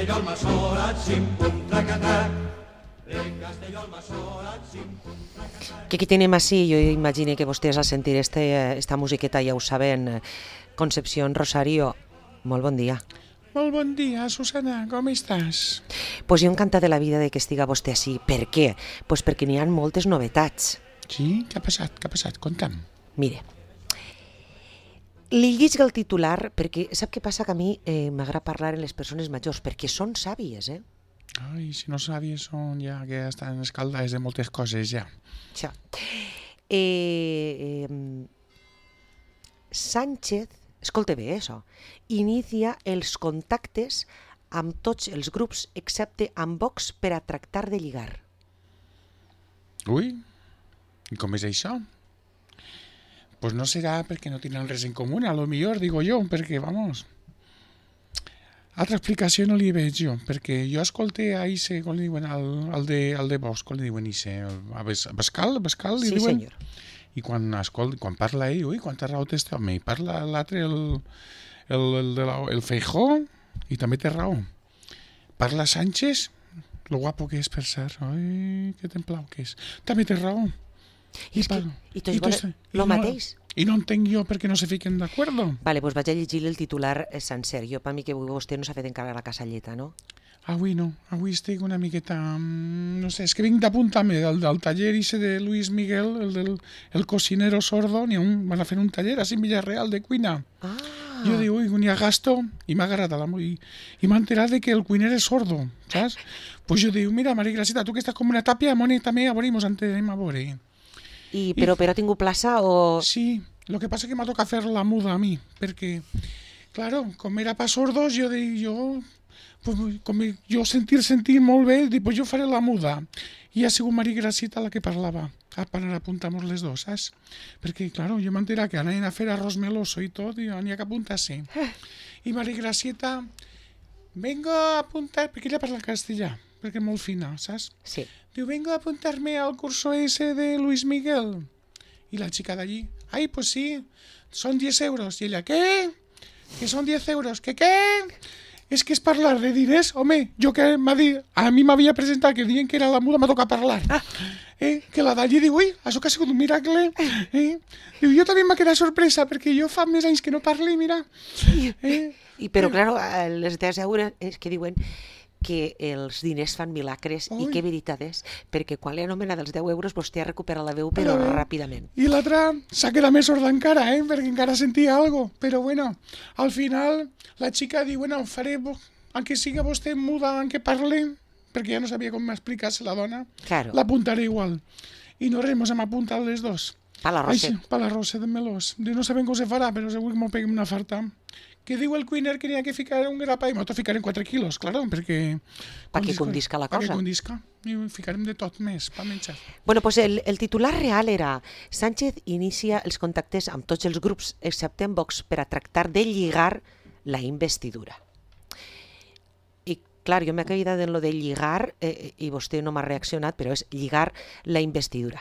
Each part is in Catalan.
Castelló al Masora, chimpum, tracatac. De Castelló al Masora, chimpum, tracatac. Que aquí tenim així, jo imagino que vostès al sentir esta musiqueta ja ho saben, Concepción Rosario, molt bon dia. Molt bon dia, Susana, com estàs? Pues jo encantada de la vida de que estiga vostè així. Per què? Pues perquè n'hi ha moltes novetats. Sí? Què ha passat? Què ha passat? Conta'm. Mire, li llisc el titular perquè sap què passa, que a mi m'agrada parlar en les persones majors, perquè són sàvies, Ai, si no sàvies són ja que estan escaldades de moltes coses, ja. Això. Sánchez, escolta bé això, inicia els contactes amb tots els grups excepte amb Vox per a tractar de lligar. Ui, i com és això? Pues no serà perquè no tenen res en comú, a lo millor, digo jo, perquè, vamos... Altra explicació no li veig jo, perquè jo escolté a Ise, com li diuen, al de Vox, com li diuen Ise, a Bascal, li Sí, diuen? senyor. I quan parla ell, ui, quanta raó té este home, i parla l'altre, el Feijó, i també té raó. Parla Sánchez, lo guapo que és, per cert, ai, que templau que és, també té raó. I tots volen lo mateix. I no entenc jo per què no se fiquen d'acord. Vale, doncs vaig a llegir el titular sencer. Jo, per mi que vostè no s'ha fet encara la casalleta, no? Avui no, avui estic una miqueta... No sé, és que vinc d'apuntar-me del taller ese de Luis Miguel, el cocinero sordo, van a fer un taller així en Villarreal de cuina. Ah. Jo dic, ui, n'hi ha gasto, i m'ha agradat i m'ha enterat de que el cuiner és sordo, saps? Pues jo dic, mira, Maria Gracita, tu que estàs com una tàpia, mone, també a veure, mos entenem a veure. Però ha tingut plaça o...? Sí, lo que pasa que m'ha tocat fer la muda a mi, perquè, claro, com era pa sordos, jo dic, pues, com jo sentir molt bé, dic, pues jo faré la muda. I ha sigut Maria Gracita la que parlava, per anar a apuntar-nos les dos, saps? Perquè, claro, jo m'entera que anaven a fer arroz meloso i tot, i n'hi ha que apuntar-se. I Maria Gracita, vengo a apuntar, perquè ella parla castellà, perquè és molt fina, saps? Sí. Diu, vengo a apuntarme al curso ese de Luis Miguel. Y la chica de allí, ay, pues sí, son 10 euros. Y ella, ¿qué? Que son 10 euros. ¿Qué? És que és parlar de diners, home, jo que a mi m'havia presentat que diuen que era la muda, m'ha tocat parlar. Que la d'allí diu, ui, això que ha sigut un miracle. Diu, jo també m'ha quedat sorpresa, perquè jo fa més anys que no parli, mira. Però, claro, les 10 euros és que diuen que els diners fan milagres. I que veritat és, perquè quan li anomena dels 10 euros vostè ha recuperat la veu, però ràpidament. I l'altra s'ha quedat més sorda encara, perquè encara sentia algo. Però bueno, al final la xica diu, bueno, faré, aunque siga vostè muda, aunque parle, perquè ja no sabia com explicar-se la dona, claro. L'apuntaré igual. I no res, mos hem apuntat les dos. Pa la Rosa. Pa la Rosa de Melós. No sabem com se farà, però segur que m'ho peguem una farta. Que diu el cuiner que n'hi ha que ficar un grapa i m'ho ficarem 4 quilos, claro, perquè... Perquè condisca la cosa. Perquè condisca. I ficarem de tot més, per menjar. Bueno, pues el titular real era Sánchez inicia els contactes amb tots els grups, excepte amb Vox, per a tractar de lligar la investidura. I, clar, jo m'he quedat en lo de lligar, i vostè no m'ha reaccionat, però és lligar la investidura.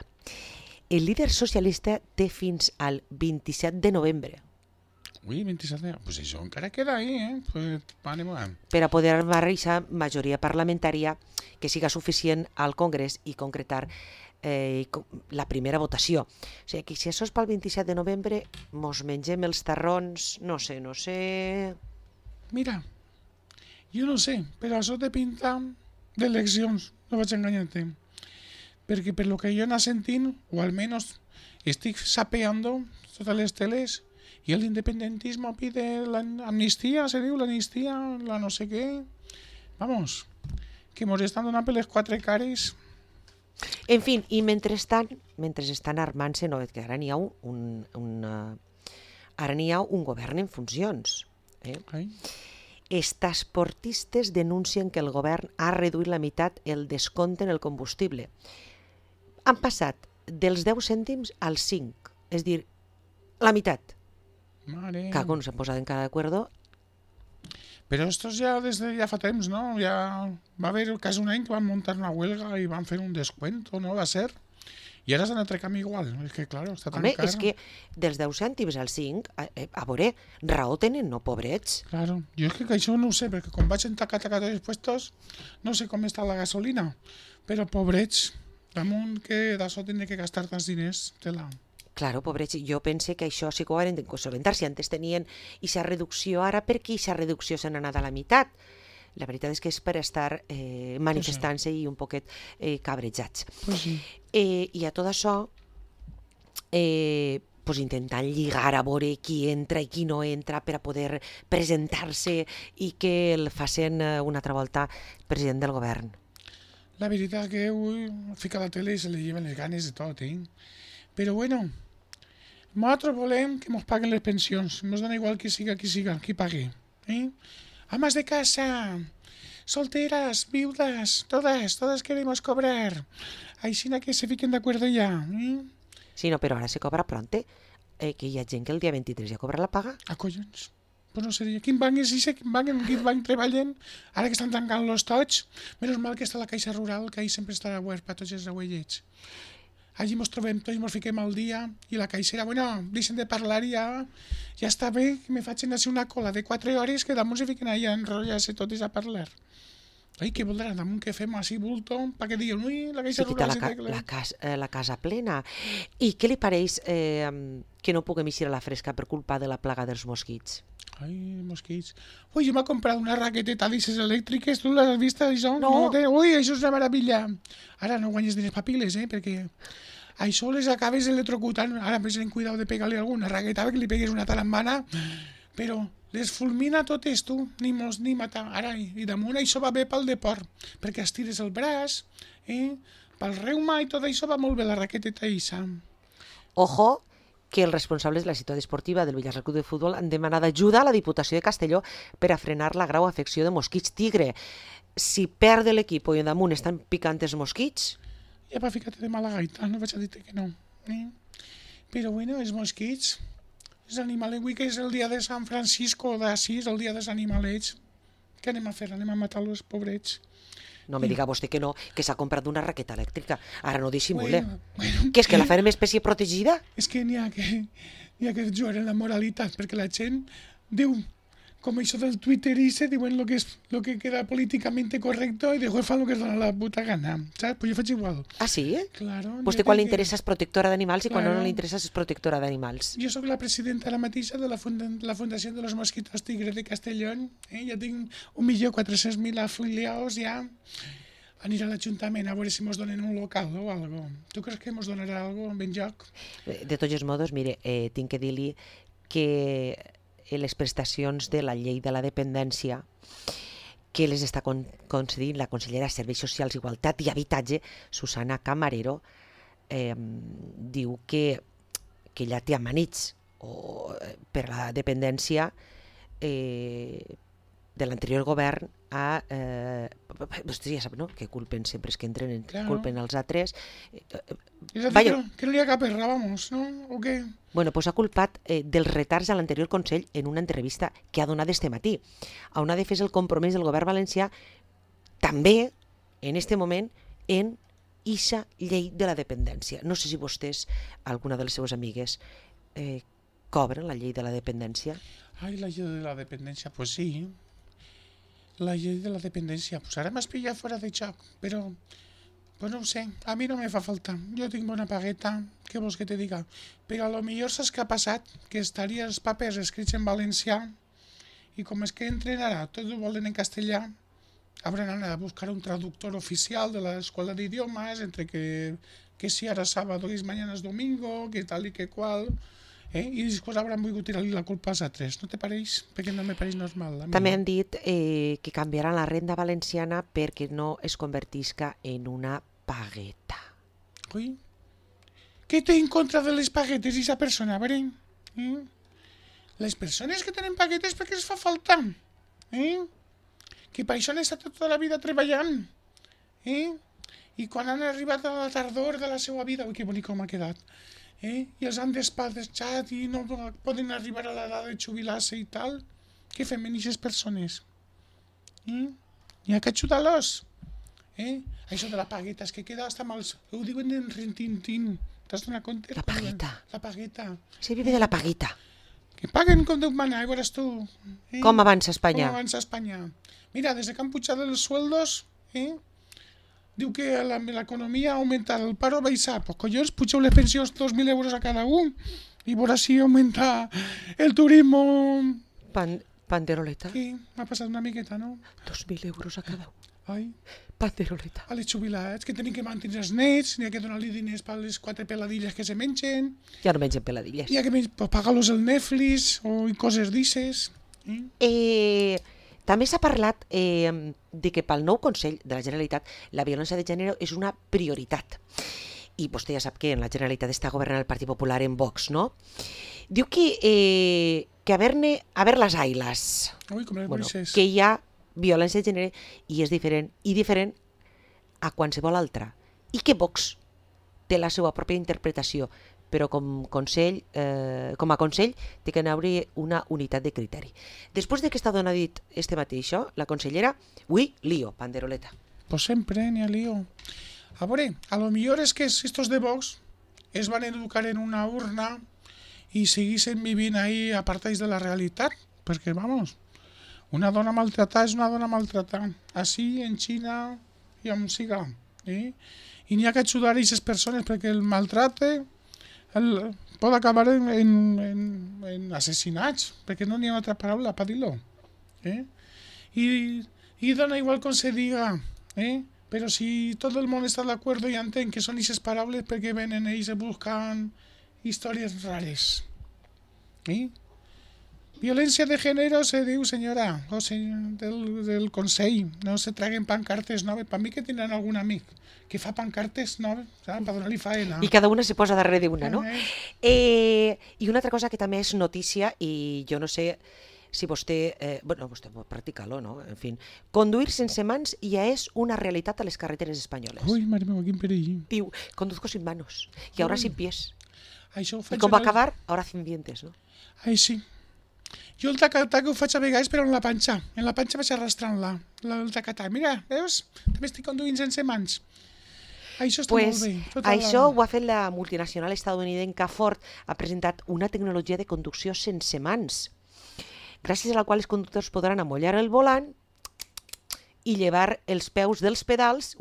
El líder socialista té fins al 27 de novembre. Ui, 27, pues això encara queda ahí, pues, per a poder barrejar majoria parlamentària que siga suficient al Congrés i concretar la primera votació. O sigui, que si això és pel 27 de novembre, mos mengem els tarrons, no sé... Mira, jo no sé, però això té pinta d'eleccions, no vaig enganyar-te. Perquè per lo que jo anava sentint, o almenys estic sapeando totes les teles, y el independentismo pide la amnistía, se diu, la amnistía, la no sé què. Vamos, que mos estan donant per les 4 cares. En fi, i mentre estan armant-se, no, que ara n'hi ha un govern en funcions. Els transportistes denuncien que el govern ha reduït la meitat el descompte en el combustible. Han passat dels 10 cèntims als 5, és dir, la meitat. Mare. Cago, no s'han posat encara d'acuerdo. Però estos ja des de ja fa temps, no? Ja va haver quasi un any que van muntar una huelga i van fer un descuento, no va ser? I ara s'han de canviar igual. És que, clar, està tan Home, car. és que dels 10 cèntims al 5, a veure, raó tenen, no, pobrets? Claro, jo és que això no ho sé, perquè quan vaig en taca-taca tots els puestos, no sé com està la gasolina, però pobrets, damunt que d'això tindré que gastar tants diners, tela. Claro, pobrets, jo pense que això sí que ho hauran de solventar. Si antes tenien aquesta reducció, ara per què aquesta reducció se n'ha anat a la meitat? La veritat és que és per estar manifestant-se i un poquet cabrejats. Pues sí. I a tot això, pues intentant lligar a veure qui entra i qui no entra per a poder presentar-se i que el facin una altra volta president del govern. La veritat que avui fica la tele i se li lleven les ganes de tot, Però bueno, nosaltres volem que ens paguen les pensions. Ens dona igual qui pague. Amas de casa, solteras, viudas, todas queremos cobrar. Així que se fiquen de acuerdo ya. Sí, no, però ara se cobra pronte, que hi ha gent que el dia 23 ja cobra la paga. A collons. Pues no seria. Quin banc és això? En quin banc treballen? Ara que estan tancant-los tots, menys mal que està la Caixa Rural, que ahí sempre estarà obert per tots els abuellets. Allí ens trobem tots, ens fiquem al dia, i la caixera, bueno, deixen de parlar i ja està bé que me facin així una cola de 4 hores que damunt se fiquen allà a enrotllar-se totes a parlar. Ai, què voldran, damunt que fem així bulto, perquè diuen, ui, la Caixa Rural... La casa plena. I què li pareix que no puguem eixir a la fresca per culpa de la plaga dels mosquits? Ai, mosquits. Ui, jo m'he comprat una raqueteta d'aixes elèctriques, tu l'has vist, això? No. Ui, això és una meravella. Ara no guanyes diners papiles, perquè això les acabes electrocutant. Ara més en cuidado de pegar-li alguna raqueta, que li pegues una talambana, però les fulmina totes, tu, ni mos ni matar. Ara, i damunt això va bé pel deport, perquè estires el braç, pel reuma i tot això va molt bé la raqueteta eixa. Ojo, que els responsables de la ciutat esportiva del Villarreal Club de Futbol han demanat ajuda a la Diputació de Castelló per a frenar la grau afecció de mosquits tigre. Si perd l'equip i damunt estan picant els mosquits... Ja va ficar-te de mala gaita, no vaig a dir-te que no. Però bueno, els mosquits, els animalets, avui que és el dia de Sant Francisco d'Assís, el dia dels animalets, què anem a fer? Anem a matar els pobrets. No me diga vostè que no, que s'ha comprat una raqueta elèctrica. Ara no dissimule. Bueno, Que és que la farem espècie protegida? és que n'hi ha que jugar en la moralitat, perquè la gent diu, com això del Twitter diuen lo que queda políticamente correcto i després fan lo que es dona la puta gana, saps? Pues jo faig igual. Ah, sí? Claro. Vostè quan li interessa és protectora d'animals i quan Claro. no li interessa és protectora d'animals. Jo sóc la presidenta ara mateixa de la Fundació de los Mosquitos Tigres de Castellón. Ja tinc 1.400.000 afiliados ja. Aniré a l'Ajuntament a veure si mos donen un local o algo. Tu creus que mos donarà algo ben joc? De tots els modos, mire, tinc que dir-li que les prestacions de la llei de la dependència que les està concedint la consellera de Serveis Socials, Igualtat i Habitatge, Susana Camarero, diu que ella té amanits per la dependència de l'anterior govern a... vostè ja sap, no?, que culpen sempre els que entren, Claro. culpen els altres. És a dir, Vaya. que no li ha cap erra, vamos, no? O què? Bueno, pues ha culpat dels retards a l'anterior Consell en una entrevista que ha donat este matí, on ha defès el compromís del govern valencià també, en este moment, en ixa llei de la dependència. No sé si vostès, alguna de les seues amigues, cobren la llei de la dependència. Ai, la llei de la dependència, pues sí. La llei de la dependència, pues ara m'has pillat fora de joc, però pues no ho sé, a mi no me fa falta. Jo tinc bona pagueta, què vols que te diga? Però a lo millor saps què ha passat? Que estaria els papers escrits en valencià i com és que entren ara, tots ho volen en castellà, hauran anat a buscar un traductor oficial de l'escola d'idiomes, entre que si ara sábado i mañana és domingo, que tal i que qual... I després hauran volgut tirar-li la culpa als altres. No te pareix? Perquè no me pareix normal. També han dit que canviaran la renda valenciana perquè no es convertisca en una pagueta. Ui, què té en contra de les paguetes aquesta persona, a veure? Les persones que tenen paguetes perquè els fa falta. Que per això han estat tota la vida treballant. I quan han arribat a la tardor de la seva vida, ui, que bonic com ha quedat, i els han despatxat i no poden arribar a l'edat de jubilar-se i tal, què fem amb aquestes persones? Hi ha que ajudar-los. Això de la pagueta, és que queda hasta mal... Ho diuen en rintintín. T'has donat compte? La pagueta. La pagueta. Se vive de la paguita. Que paguen com Déu mana, ja veuràs tu. Com avança Espanya? Com avança Espanya. Mira, desde que han pujado los sueldos, diu que l'economia ha augmentat, el paro ha baixat. Pues collons, pugeu les pensions 2.000 euros a cada un i veuràs si augmenta el turismo. Panderoleta. Sí, m'ha passat una miqueta, no? 2.000 euros a cada un. Ai, Panderoleta. a les jubilats, que tenen que mantenir els nets, n'hi ha que donar-li diners per les 4 peladilles que se mengen, Ja no mengen peladilles. n'hi ha que pagar-los el Netflix o coses d'ixes. També s'ha parlat de que pel nou Consell de la Generalitat la violència de gènere és una prioritat. I vostè ja sap que en la Generalitat està governant el Partit Popular en Vox, no? Diu que haver las ailas. Ui, com les Moisés. Que hi ha violència de gènere i és diferent a qualsevol altra. I que Vox té la seva pròpia interpretació, però com a Consell té que haver una unitat de criteri. Després de que està donat dit este matí això, la consellera, lío, panderoleta. Pues sempre n'hi ha lío. A veure, a lo millor és que estos de Vox es van educar en una urna i seguissin vivint ahí apartats de la realitat, perquè, vamos, una dona maltratada és una dona maltratada, així en Xina i on siga. I n'hi ha que ajudar a aquestes persones perquè el maltrate pot acabar en assassinats, perquè no n'hi ha altra paraula per dir-lo. I dona igual com se diga, però si tot el món està d'acord i entén que són aquestes paraules perquè venen ells i busquen històries rares. Violència de gènere se diu, senyora, del Consell, no se traguen pancartes noves. Per mi que tindran algun amic que fa pancartes noves, per donar-li faena. I cada una se posa darrere d'una, no? I una altra cosa que també és notícia, i jo no sé si vostè pot practicar-lo, no? En fi, conduir sense mans ja és una realitat a les carreteres espanyoles. Ui, mare meva, quin perill. Diu, conduzco sin manos y ahora sin pies. Això ho I faig com va acabar, ahora sin dientes, no? Ai, sí. Jo el tac-tac ho faig a vegades, però en la panxa. En la panxa vaig arrastrant-la, el tac-tac. Mira, veus? També estic conduint sense mans. Això està molt bé. Això ho ha fet la multinacional estadounidenca Ford. Ha presentat una tecnologia de conducció sense mans, gràcies a la qual els conductors podran amollar el volant i llevar els peus dels pedals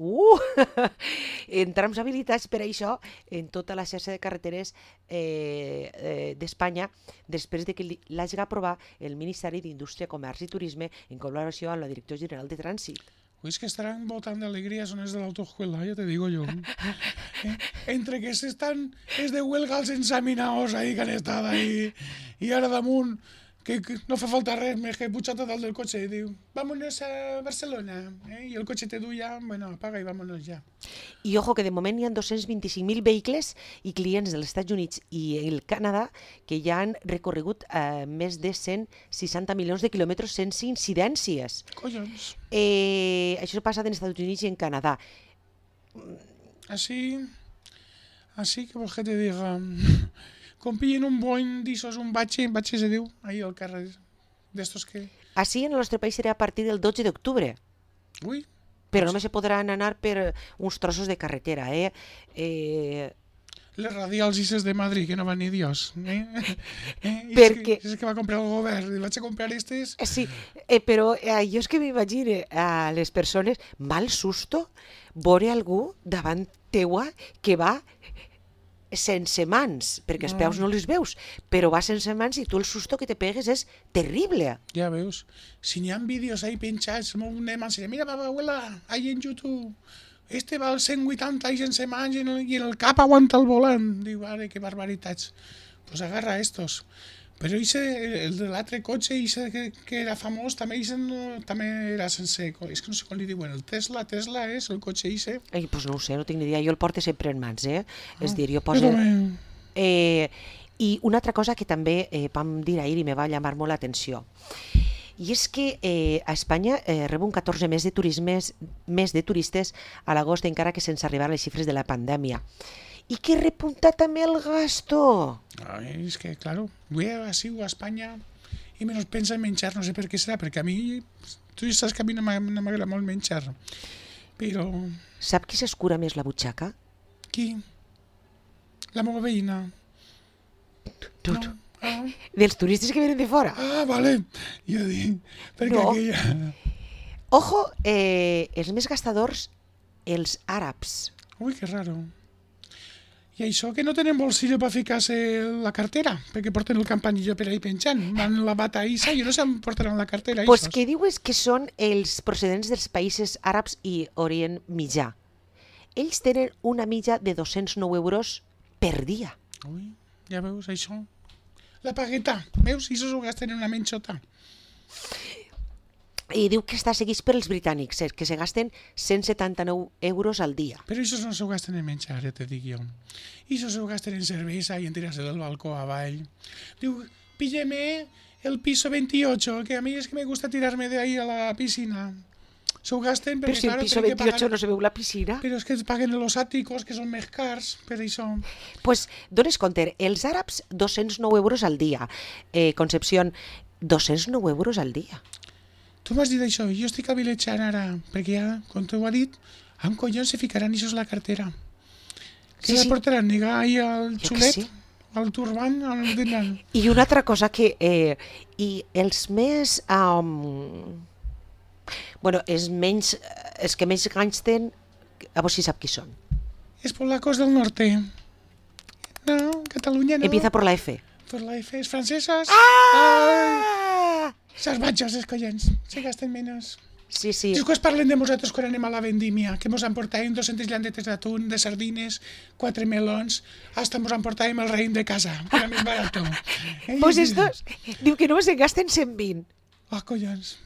en trams habilitats per a això en tota la xarxa de carreteres d'Espanya, després de que l'hagi aprovat el Ministeri d'Indústria, Comerç i Turisme en col·laboració amb la Direcció General de Trànsit. Pues que estarán botando alegría, son es de la autoescuela, ya te digo yo. Entre que es de huelga els ensaminaos ahí que han estat ahí i ara damunt que no fa falta res més que pujar tot del cotxe i diu, vámonos a Barcelona, i el cotxe te du ja, bueno, apaga i vámonos ja. I ojo que de moment hi ha 225.000 vehicles i clients dels Estats Units i el Canadà que ja han recorregut més de 160 milions de quilòmetres sense incidències. Collons. Això passa en Estats Units i en Canadà. Así que vols que te diga... Com pillen un Boeing d'ixos, un batxe se diu, ahí al carrer d'estos que... Així en el nostre país serà a partir del 12 d'octubre. Ui. Però només se podran anar per uns trossos de carretera, Les radials ixes de Madrid, que no van ni Dios. Perquè... És que va comprar el govern, i vaig a comprar estes... Sí, però jo és que m'imagine a les persones mal susto veure algú davant teua que va sense mans, perquè els peus no els veus, però va sense mans i tu el susto que te pegues és terrible. Ja veus, si n'hi ha vídeos ahí penjats, molt anem a ensenyar, mira, abuela, ahí en YouTube, este va als 180 i sense mans i en el cap aguanta el volant. Diu, ara, que barbaritats. Pues agarra estos. Però el de l'altre cotxe, que era famós, també era sense... És que no sé com li diuen, el Tesla és el cotxe ixe. Pues no ho sé, no tinc ni idea, jo el porto sempre en mans, És dir, jo poso... I una altra cosa que també vam dir ahir i me va llamar molt l'atenció, i és que a Espanya rep un 14 més de turistes a l'agost, encara que sense arribar a les xifres de la pandèmia. I que repunta també el gasto. És que, claro, voy a Espanya i menos pensa en menjar, no sé per què serà, perquè a mi, tu saps que a mi no m'agrada molt menjar. Però Sap qui s'escura més la butxaca? qui? La meva veïna. Tu. No. Ah, Dels turistes que venen de fora. vale. Jo dic, perquè No. aquella... Ojo, els més gastadors, els àrabs. Ui, que raro. I això que no tenen bolsillo per ficar-se la cartera, perquè porten el campanillo per ahí penjant. Van la bata issa i no se'n portaran la cartera. Pues issos. que dius que són els procedents dels països àrabs i Orient Mitjà. Ells tenen una mitja de 209 euros per dia. Ui, ja veus, això. La pagueta, veus? I això s'ho gasten en una menxota. I diu que està seguit per els britànics, que se gasten 179 euros al dia. Però això no s'ho gasten en menjar, ja te dic jo. I això s'ho gasten en cervesa i en tirar-se del balcó avall. Diu, pílleme el piso 28, que a mi és que me gusta tirarme de ahí a la piscina. S'ho gasten Però perquè, si el claro, piso tenen que 28 pagar... no se veu la piscina. Però és que paguen els àticos, que són més cars, per això. Pues dones compte, els àrabs 209 euros al dia. Concepción, 209 euros al dia. Tu m'has dit això, jo estic avilejant ara, perquè ja, com tu ho has dit, amb collons se ficaran ixos a la cartera. Sí, Que la sí. portaran, nega, ahí al Jo que xulet, sí. al turban, al dinan. I una altra cosa que... I els més... bueno, els que menys ganys tenen, a veure si sap qui són. Es polacos del norte. No, Catalunya no. Empieza por la F. Por la F, es francesas. Ah! Esas batxos, els collons, se gasten menys. Sí, sí. Després parlen de nosaltres quan anem a la vendímia, que mos emportàvem 200 llandetes d'atún, de sardines, 4 melons, hasta mos emportàvem el raïm de casa, que era més barat. Pues estos, diu que només en gasten 120. Ah, collons,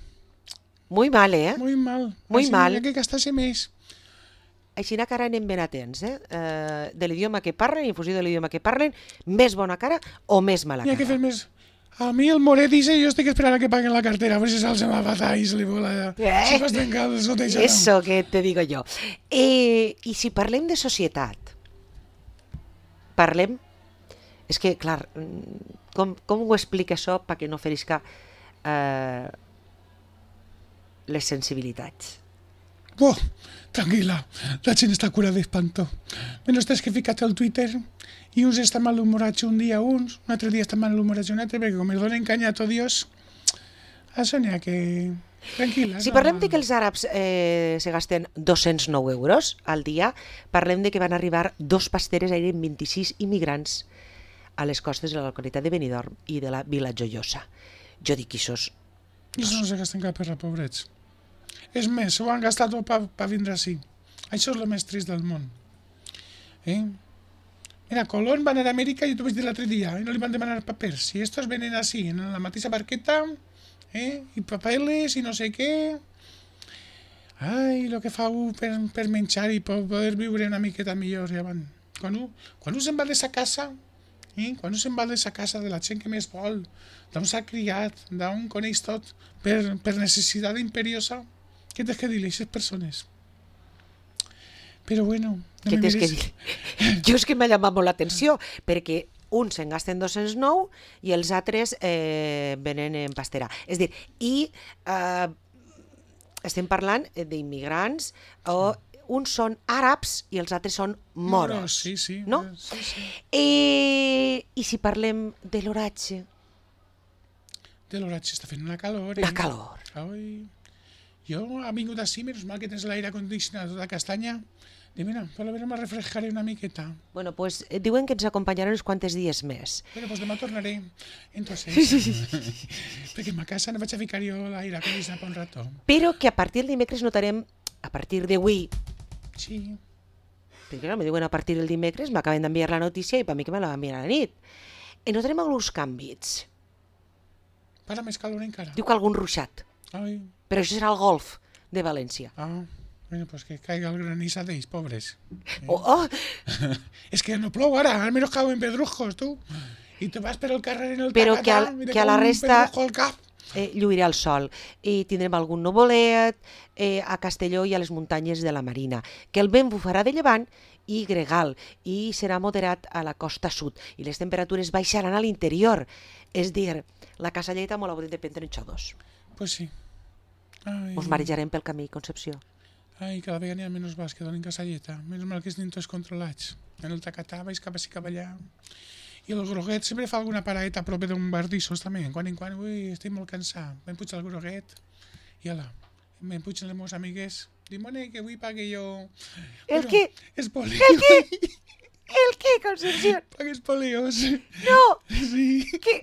Muy mal, eh? muy mal. Muy Així mal. Hi ha que gastar-se més. Així que ara anem ben atents, de l'idioma que parlen, en funció de l'idioma que parlen, més bona cara o més mala Hi ha que fer cara. més... A mi el Moret dice, jo estic esperant a que paguen la cartera, a veure si se'ls va patar i se li vola... Se va trencar el sotejador. Eso que te digo jo. I si parlem de societat, parlem... És que, clar, com ho explica això perquè no ferisca les sensibilitats? Oh, tranquil·la, la gent està curada d'espanto. Menos tres que he ficat al Twitter i uns estan malhumorats un dia un altre dia estan malhumorats un altre, perquè com els donen canya a tot Dios, això n'hi ha que... Tranquil·la. Si parlem de que els àrabs se gasten 209 euros al dia, parlem de que van arribar 2 pasteres, eren 26 immigrants a les costes de la localitat de Benidorm i de la Vila Joiosa. Jo dic que això és... I això no se gasten cap per la pobrets. És més, s'ho han gastat tot per vindre així. Això és el més trist del món. Mira, Colón va anar a Amèrica, jo t'ho vaig dir l'altre dia, i no li van demanar papers. Si estos venen així, en la mateixa barqueta, i papeles, i no sé què... Ai, el que fa un per menjar i per poder viure una miqueta millor, ja van. Quan un se'n va de sa casa, quan un se'n va de sa casa de la gent que més vol, d'on s'ha criat, d'on coneix tot, per necessitat imperiosa, què tens que dir-li a aquestes persones? Però bueno... Què tens que dir? Jo és que m'ha llamat molt l'atenció, perquè uns se'n gasten 209 i els altres venen en pastera. És a dir, i estem parlant d'immigrants, o uns són àrabs i els altres són moros. Sí, sí. No? Sí, sí. I si parlem de l'oratge? De l'oratge està fent una calor. La calor. Ai, jo ha vingut així, menys mal que tens l'aire condicionat tota castanya. Dic, mira, per la vera me refrescaré una miqueta. Bueno, pues diuen que ens acompanyaran uns quantes dies més. Bueno, pues demà tornaré. Entonces, perquè a ma casa no vaig a ficar jo l'aire condicionat per un rato. Però que a partir del dimecres notarem, a partir d'avui, Sí. perquè me diuen a partir del dimecres, m'acaben d'enviar la notícia i per mi que me la van enviar a la nit. I notarem alguns canvis. Para més calor encara. Diu que algun ruixat, Ai, però això serà el golf de València. bueno, pues que caiga el granizo d'ells, pobres. Oh! És que no plou ara, almenys cauen pedrujos, tu. I tu vas per el carrer en el Però que tacatà, i te a la cau un resta- pedrujo al cap. Lluirà el sol i tindrem algun nuvolet a Castelló i a les muntanyes de la Marina, que el vent bufarà de llevant i gregal i serà moderat a la costa sud i les temperatures baixaran a l'interior, és dir, la casalleta molt haurem de prendre en xodos. Pues sí. Ai, Us marejarem pel camí, Concepció. Ai, cada vegada n'hi ha menys bars que donen casalleta. Menys mal que estan tots controlats. En el tacatà vaig cap ací cap allà. I el groguet sempre fa alguna paradeta a prop d'un bar d'issos també. En quan, ui, estic molt cansat. Me'n puig al groguet i ala, me'n puig les meves amigues. Dimone, que avui pague jo... El què? Espolios. El què? El què, Concepción? Pague espolios. No! Sí. Què?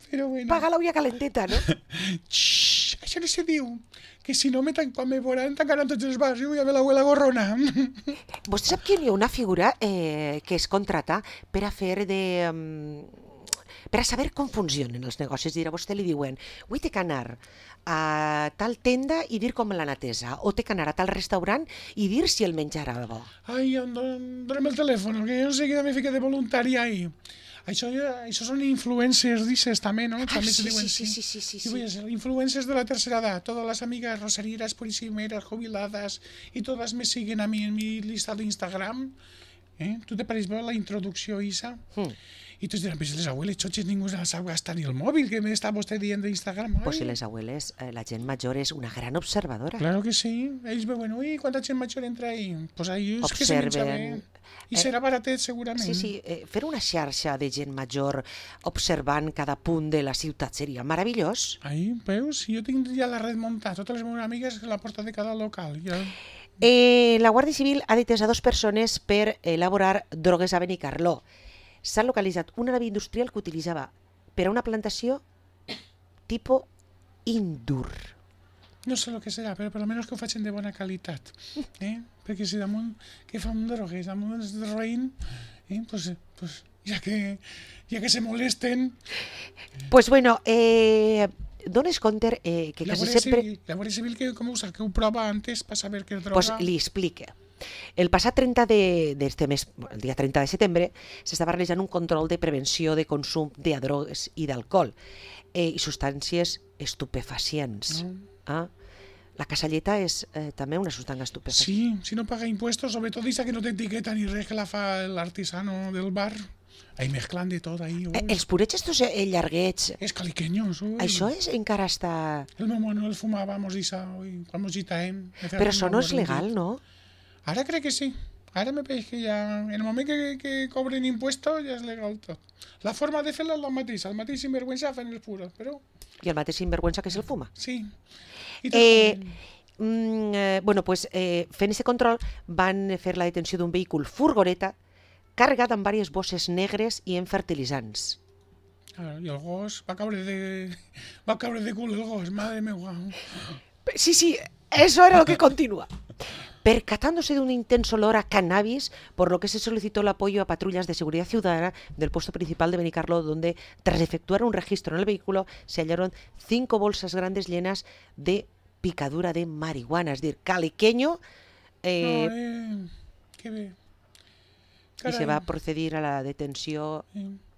Però bueno. Paga la olla calenteta, no? Xxxt, això no se diu. Que si no, quan me veuran, tancaran tots els bars i vull a veure l'abuela gorrona. Vostè sap que hi ha una figura que es contrata per a fer de... per a saber com funcionen els negocis. Dir, a vostè li diuen, avui té que anar a tal tenda i dir com l'han atesa, o té que anar a tal restaurant i dir si el menjar era bo. Ai, dona'm el telèfon, que jo no sé què me fica de voluntari ahí. Això són influencers, dices, també, ¿no? També se diuen, sí. Influencers de la tercera edad. Todas las amigas rosarieras, purísimeras, jubiladas, y todas me siguen a mí en mi lista de Instagram. ¿Tú te pareix bé la introducció, Isa? I tots diran, pues les abueles choches ningú se sap gastar ni el mòbil, que m'està vostè dient d'Instagram. Pues si les abueles, la gent major és una gran observadora. Claro que sí. Ells veuen, ui, quanta gent major entra ahí. Pues ahí és que se menja bé. I serà baratet, segurament. Sí, fer una xarxa de gent major observant cada punt de la ciutat seria meravellós. Ai, veus? Jo tinc ja la red muntada, totes les meves amigues a la porta de cada local. Ja... La Guàrdia Civil ha detès a 2 persones per elaborar drogues a Benicarló. S'ha localitzat una nave industrial que utilitzava per a una plantació tipus Indur. No sé el que serà, però per almenys que ho facin de bona qualitat. Perquè si damunt que fan drogues, damunt de roïn, pues ja que se molesten... Pues bueno, dones compte que quasi sempre... La Guàrdia Civil, com ho sap? Que ho prova antes per saber què és droga? Pues li explica. El passat 30 d'este mes, el dia 30 de setembre, s'estava realitzant un control de prevenció de consum de drogues i d'alcohol i substàncies estupefacients. La casalleta és també una substància estupefacient. Sí, si no paga impuestos, sobretot dice que no té etiqueta ni res, que la fa l'artisano del bar. Ahí mezclan de tot, ahí. Els purets estos llarguets... És caliqueños, ui. Això encara està... El meu Manuel fumàvamos això, quan mos gitaem. Però això no és legal, no? Ara crec que sí. Ara me pareix que ja... En el moment que cobren impuestos ja és legal tot. La forma de fer-la és la mateixa. El mateix sinvergüenza fan els puros, però... I el mateix sinvergüenza que se'l fuma. Sí. Bueno, pues fent aquest control van fer la detenció d'un vehicle furgoneta carregat amb diverses bosses negres i amb fertilitzants. I el gos va caure de cul, el gos, madre meva. Sí, eso era lo que continúa. Percatándose de un intenso olor a cannabis, por lo que se solicitó el apoyo a patrullas de seguridad ciudadana del puesto principal de Benicarló, donde tras efectuar un registro en el vehículo se hallaron 5 bolsas grandes llenas de picadura de marihuana, es decir, caliqueño. Qué bé. Y se va a proceder a la detenció.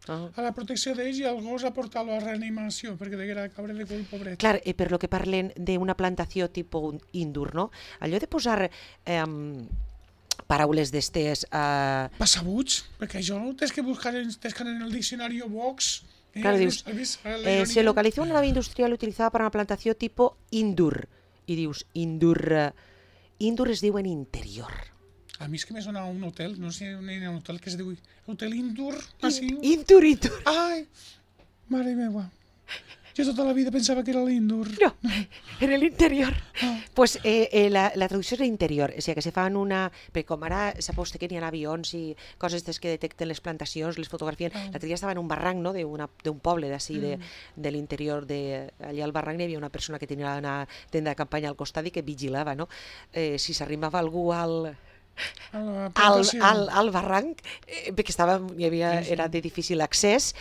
A la protecció d'ells i el gos a portar-lo a reanimació, perquè deguera caure de cul, pobret. Clar, per lo que parlen d'una plantació tipus Indur, no? Allò de posar paraules d'estes... Passabuts, perquè això tens que buscar en el diccionari Vox. Claro, dius, se localizó una nave industrial utilizada para una plantació tipus Indur. I dius, Indur es diu en interior. A mi és que me sona un hotel, no sé, un hotel que es diu Hotel Indur. Indur. Ai, mare meva. Jo tota la vida pensava que era l'Indur. No, en el interior. Pues la traducció és l'interior, o sigui que se fan una... Perquè com ara sap vostè que n'hi ha avions i coses que detecten les plantacions, les fotografien. L'altre dia estava en un barranc, no?, d'un poble d'ací, de l'interior, allà al barranc hi havia una persona que tenia una tenda de campanya al costat i que vigilava, no? Si s'arrimava algú al barranc, perquè era de difícil accés,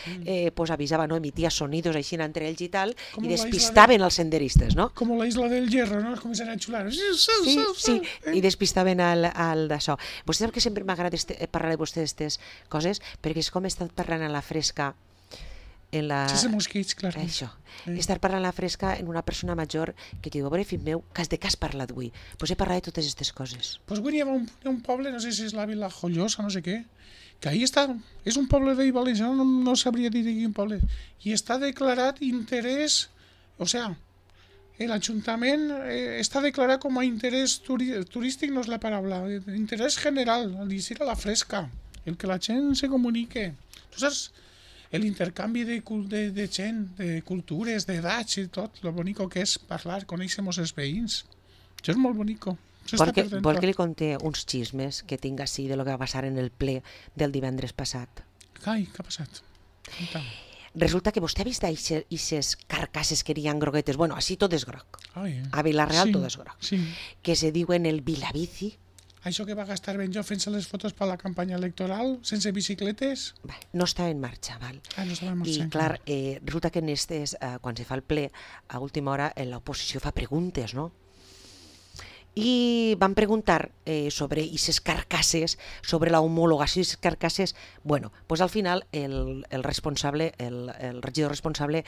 pues avisava, no? Emitia sonidos així entre ells i tal, i despistaven els senderistes, no? Com la Isla del Hierro, no? Es començaven a xular. Sí, i despistaven al d'això. Vostè sap que sempre m'agrada parlar de vostè d'aquestes coses, perquè és com he estat parlant a la fresca Sense mosquits, clar. Això. Estar parlant a la fresca en una persona major que diu, a veure, fill meu, de què has parlat avui? Doncs he parlat de totes aquestes coses. Doncs avui hi ha un poble, no sé si és la Vila Jollosa, no sé què, que ahí està, és un poble de València, no sabria dir quin poble, i està declarat interès, o sea, el ayuntamiento está declarado como interés turístico, no es la palabra, interés general, al decir a la fresca, el que la gent se comunique. Tu saps l'intercanvi de gent, de cultures, d'edats i tot, lo bonico que és parlar, conèixer-nos els veïns. Això és molt bonico. Vol que li conté uns xismes que tinc així de lo que va passar en el ple del divendres passat? Ai, què ha passat? Resulta que vostè ha vist aquestes carcasses que eren groguetes, bueno, així tot és groc. A Vila-real sí, tot és groc. Sí. Que se diuen el Vilabici. Això que va gastar Benjó fent-se les fotos per la campanya electoral, sense bicicletes? No està en marxa, val? No estava en marxa. I clar, resulta que en quan se fa el ple, a última hora l'oposició fa preguntes, no? I van preguntar sobre aquestes carcasses, sobre la homologació d'aquestes carcasses. Bueno, pues al final el responsable, el regidor responsable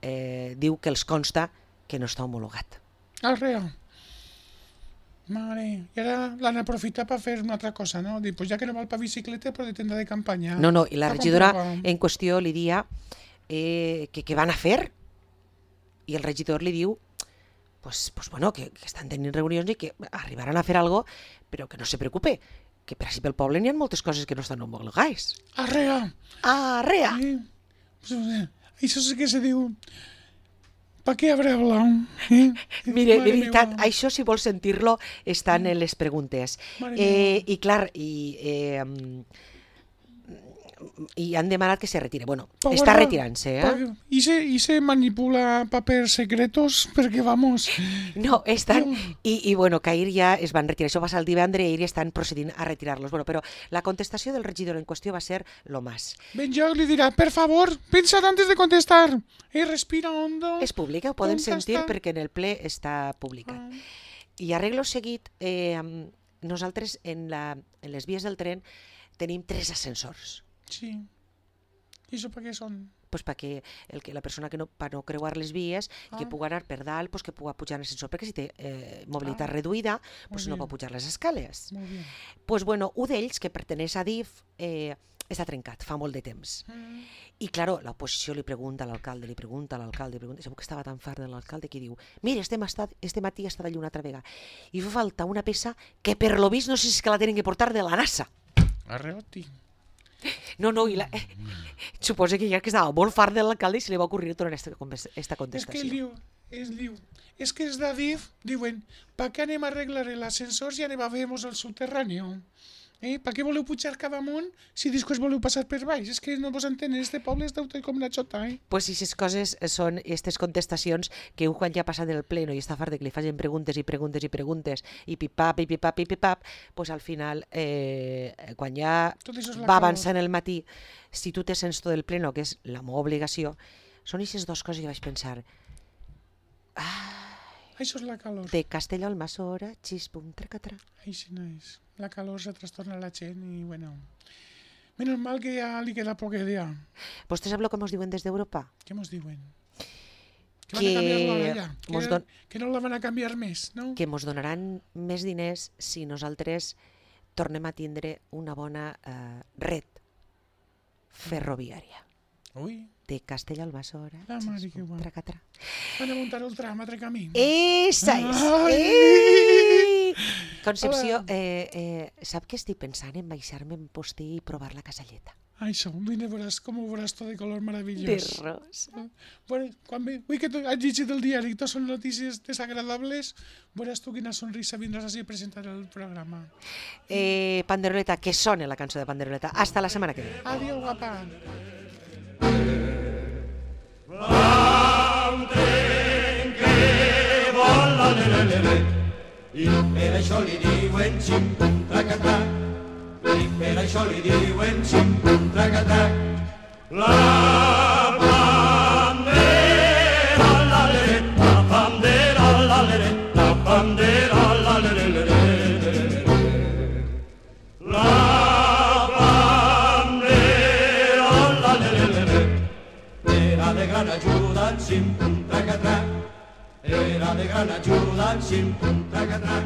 diu que els consta que no està homologat. Arreu. Mare, i ara l'han aprofitat per fer una altra cosa, no? Dic, pues ja que no val per bicicleta, però de tenda de campanya. No, i la regidora en qüestió li dia que què van a fer? I el regidor li diu pues bueno, que estan tenint reunions i que arribaran a fer alguna cosa, però que no se preocupe, que per així pel poble n'hi ha moltes coses que no estan homologades. Arrea! Arrea! Això sí que se diu... ¿Para qué habrá hablado? Mire, de veritat, això si vols sentir-lo estan en les preguntes. I clar, i han demanat que se retire. Bueno, està retirant-se, I se manipula papers secretos perquè, vamos... No, estan... I bueno, que ahir ja es van retirar. Això va ser el divendres i ahir estan procedint a retirar-los. Bueno, però la contestació del regidor en qüestió va ser lo más. Benjó li dirà, per favor, pensad antes de contestar. Respira hondo. És pública, ho poden sentir perquè en el ple està publicat. I arreglo seguit, nosaltres en les vies del tren tenim 3 ascensors. Sí. I això per què són? Pues perquè la persona que no creuar les vies i que pugui anar per dalt, pues que pugui pujar en l'ascensor, perquè si té mobilitat reduïda, pues no pot pujar les escales. Pues bueno, un d'ells, que perteneix a DIF, està trencat, fa molt de temps. I claro, l'oposició li pregunta a l'alcalde, i segur que estava tan fart de l'alcalde que diu, mira, este matí ha estat allà una altra vegada, i fa falta una peça que per lo vist no sé si és que la tenen que portar de la NASA. Arreoti. No, i suposa que ja que estava molt fart de l'alcalde i se li va ocurrir tornar aquesta contestació. És que els d'Adif diuen, per què anem a arreglar l'ascensor si anem a fer-nos el subterrani? Per què voleu pujar cap amunt si després voleu passar per baix? És que no vos entenen, este poble és d'autor com una xota, Pues si aquestes coses són aquestes contestacions que un quan ja ha passat el pleno i està fart de que li facin preguntes i pipipap, pues al final, quan ja va avançar en el matí, si tu te sents tot el pleno, que és la meva obligació, són aquestes dues coses que vaig pensar. Això és la calor. De Castelló al Massora, xispum, tracatra. Així no és. La calor se trastorna a la gent i, bueno... Menos mal que ja li queda poc dia. ¿Vostè sap el que ens diuen des d'Europa? Què ens diuen? Que van a canviar l'hora, que no la van a canviar més, no? Que ens donaran més diners si nosaltres tornem a tindre una bona red ferroviària. Ui. De Castelló al Massora, tracatra. Van a muntar el tram, altre camí. Esa és! Concepció, sap que estic pensant en baixar-me en postí i provar la casalleta? Això, veuràs com ho veuràs tot de color meravellós. De rosa. Bueno, avui que has llegit el diari i tot són notícies desagradables, veuràs tu quina sonrisa vindràs així a presentar el programa. Panderoleta, que sona la cançó de Panderoleta. Hasta la setmana que ve. Adiós, guapa. I per això li diuen xim-pum tracatà, i per això li diuen xim-pum tracatà. La bandera, la lere, la bandera, la lere, la bandera, la lere, la bandera, la lere, era de gran ajuda en xim-pum tracatà. Era de gran ajuda en xim-pum tracatà.